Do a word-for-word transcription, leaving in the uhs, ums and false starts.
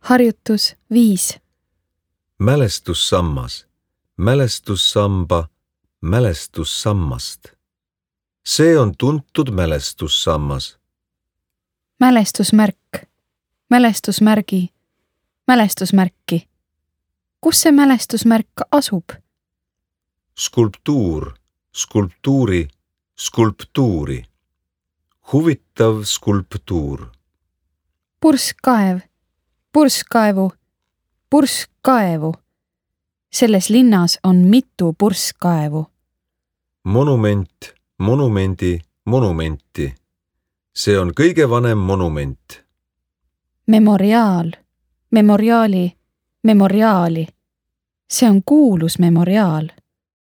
Harjutus viis. Mälestussammas, mälestussamba, mälestussammast. See on tuntud mälestussammas. Mälestusmärk, mälestusmärgi, mälestusmärki. Kus see mälestusmärk asub? Skulptuur, skulptuuri, skulptuuri. Huvitav skulptuur. Purskkaev, purskkaevu, purskkaevu. Selles linnas on mitu purskkaevu. Monument, monumendi, monumenti. See on kõige vanem monument. Memoriaal, memoriaali, memoriaali. See on kuulus memoriaal.